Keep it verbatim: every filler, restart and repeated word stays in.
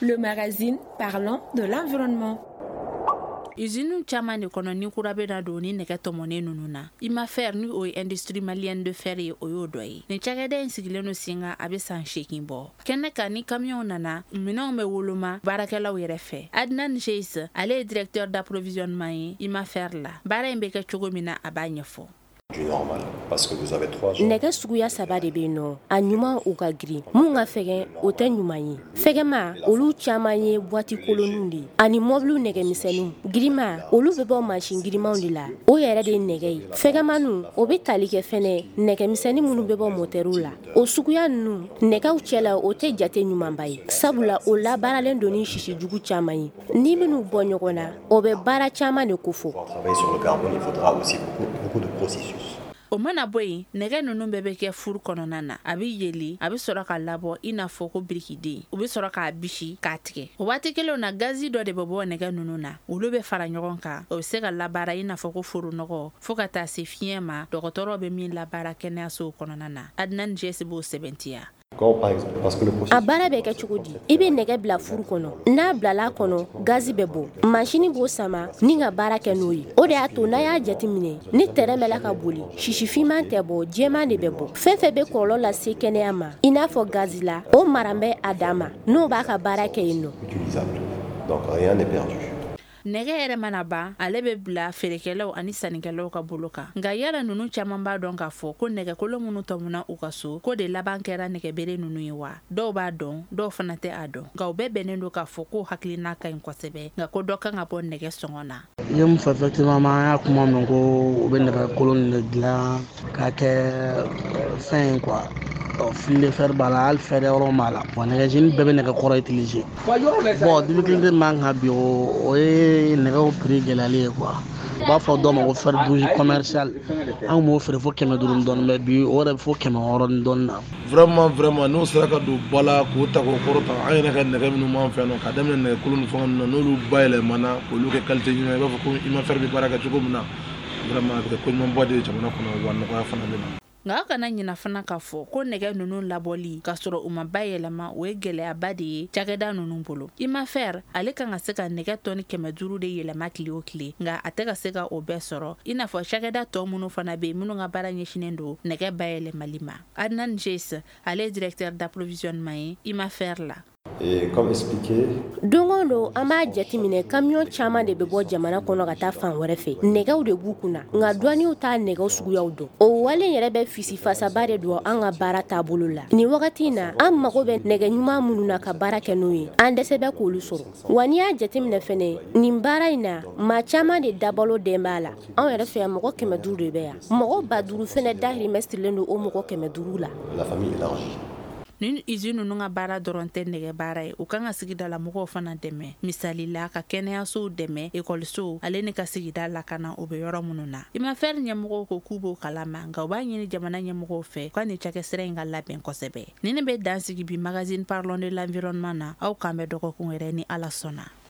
Le magazine parlant de l'environnement. Usine caman de kɔnɔ ni kura bɛ na don ni nɛgɛ tɔmɔnen ninnu na, Imafer, ni o ye Industrie malienne de fer ye, o y'o dɔ ye. Nin cakɛda in sigilen don sen kan, a bɛ san seegin bɔ. Kɛnɛ kan, ni kamiyɔnw nana, minɛnw bɛ woloma baarakɛlaw yɛrɛ fɛ. Adnan Cheis, ale ye directeur d'approvisionnement ye Imafer la. Baara in bɛ kɛ cogo min na, a b'a ɲɛfɔ. Nɛgɛ suguya saba de bɛ yen nɔ. A ɲuman, u ka girin. Mun ka fɛgɛn, o tɛ ɲuman ye. Fɛgɛma, olu caman ye boîte kolonninw de ye ani mɔbiliw nɛgɛmisɛnninw. Girinma, olu bɛ bɔ mansin girimanw de la, o yɛrɛ de ye nɛgɛ ye. Fɛgɛmaniw, o bɛ tali kɛ fɛnɛ nɛgɛmisɛnnin minnu bɛ bɔ motɛriw la. O suguya ninnu, nɛgɛw cɛla, o tɛ jate ɲumanba ye, sabula o labaaralen don ni sisi jugu caman ye. Ni minnu bɔ ɲɔgɔn na, o bɛ baara caman de kofɔ. O mana bɔ yen, nɛgɛ ninnu bɛɛ bɛ kɛ four kɔnɔna na. A bɛ yeli, a bɛ sɔrɔ ka labɔ i n'a fɔ ko birikiden. U bɛ sɔrɔ k'a bisi k'a tigɛ. O waati kelen na, gazi dɔ de bɛ bɔ nɛgɛ ninnu na. Olu bɛ fara ɲɔgɔn kan, o bɛ se ka labaara i n'a fɔ ko foronɔgɔ, fo ka taa se fiɲɛ ma, dɔgɔtɔrɔ bɛ min labaara kɛnɛyasow kɔnɔna na. Adnan Jɛsi b'o sɛbɛntiya. A baara bɛ kɛ cogo di? I bɛ nɛgɛ bila four kɔnɔ. N'a bilala kɔnɔ, gazi bɛ bɔ, masini b'o sama ni ka baara kɛ n'o ye. O de y'a to n'a y'a jateminɛ, ni tɛrɛn bɛ la ka boli, sisi finman tɛ bɔ, jɛman de bɛ bɔ. Fɛn fɛn bɛ kɔlɔlɔ lase kɛnɛya ma, i n'a fɔ gazi la, o maran bɛ a dan ma, n'o b'a ka baara kɛ yen nɔ. Nɛgɛ yɛrɛ mana ban, ale bɛ bila feerekɛlaw ani sannikɛlaw ka bolo kan. Nka yala ninnu caman b'a dɔn k'a fɔ ko nɛgɛkolo minnu tɔmɔna u ka so, ko de laban kɛra nɛgɛbere ninnu ye wa? Dɔw b'a dɔn, dɔw fana tɛ a dɔn. Nka u bɛɛ bɛnnen don k'a fɔ ko hakilina ka ɲi kosɛbɛ, nka ko dɔ kan ka bɔ nɛgɛ sɔngɔ na. I ye mun fɔ? Effectivement, an y'a kuma mɛn ko u bɛ nɛgɛ kolon de dilan k'a kɛ fɛn ye quoi. Fil de fer b'a la, hali fer yɔrɔ b'a la. Bon, nɛgɛjeni bɛɛ bɛ nɛgɛ kɔrɔ utiliser. Bon, difficulté min b'an kan bi, o ye nɛgɛw prix gɛlɛyali ye quoi. U b'a fɔ dɔw ma ko fer douze commercial, an kun b'o feere fo kɛmɛ duuru ni dɔɔni, mais bi o yɛrɛ bɛ fo kɛmɛ wɔɔrɔ ni dɔɔni na. Vraiment, vraiment, n'o sera ka don ba la k'o ta k'o kɔrɔta, an yɛrɛ ka nɛgɛ minnu b'an fɛ yan nɔ, ka daminɛ nɛgɛ kolon ni fɛn ninnu na, n'olu bayɛlɛmana k'olu kɛ qualité ɲuman ye, i b'a fɔ ko Imafer bɛ baara kɛ cogo min na, vraiment, a bɛ kɛ ko ɲumanba de ye jamana kɔnɔ, wa nɔgɔya fana bɛ na. Nka aw kana ɲina fana k'a fɔ ko nɛgɛ ninnu labɔli k'a sɔrɔ u ma bayɛlɛma, o ye gɛlɛyaba de ye cakɛda ninnu bolo. Imafer, ale kan ka se ka nɛgɛ tɔni kɛmɛ duuru de yɛlɛma tile o tile, nka a tɛ ka se ka o bɛɛ sɔrɔ, i n'a fɔ cakɛda tɔ minnu fana bɛ yen, minnu ka baara ɲɛsinnen don nɛgɛ bayɛlɛmali ma. Adnan Jes, ale ye directeur d'approvisionnement ye Imafer la. Don o don, an b'a jateminɛ, kamiyɔn caman de bɛ bɔ jamana kɔnɔ ka taa fan wɛrɛ fɛ. Nɛgɛw de b'u kunna, nka douaniers t'a nɛgɛw suguyaw dɔn. O wale yɛrɛ bɛ fisifasaba de don an ka baara taabolo la. Nin wagati in na, an mago bɛ nɛgɛ ɲuman minnu na ka baara kɛ n'o ye, an dɛsɛ bɛ k'olu sɔrɔ. Wa n'i y'a jateminɛ fɛnɛ, nin baara in na, maa caman de dabalo den b'a la. Anw yɛrɛ fɛ yan, mɔgɔ kɛmɛ duuru de bɛ yan. Mɔgɔ ba duuru fɛnɛ dahirimɛ sirilen don o mɔgɔ kɛmɛ duuru la. Nin usine ninnu ka baara dɔrɔn tɛ nɛgɛ baara ye. U kan ka sigidala mɔgɔw fana dɛmɛ, misali la ka kɛnɛyasow dɛmɛ, ekɔlisow, ale ni ka sigida lakana o bɛ yɔrɔ minnu na. Imafer ɲɛmɔgɔw ko k'u b'o kalama, nka u b'a ɲini jamana ɲɛmɔgɔw fɛ u ka nin cakɛsira in ka labɛn kosɛbɛ. Nin bɛ dan sigi bi magazine parlons de l'environnement na. Aw k'an bɛ dɔgɔkun wɛrɛ ni Ala sɔnna.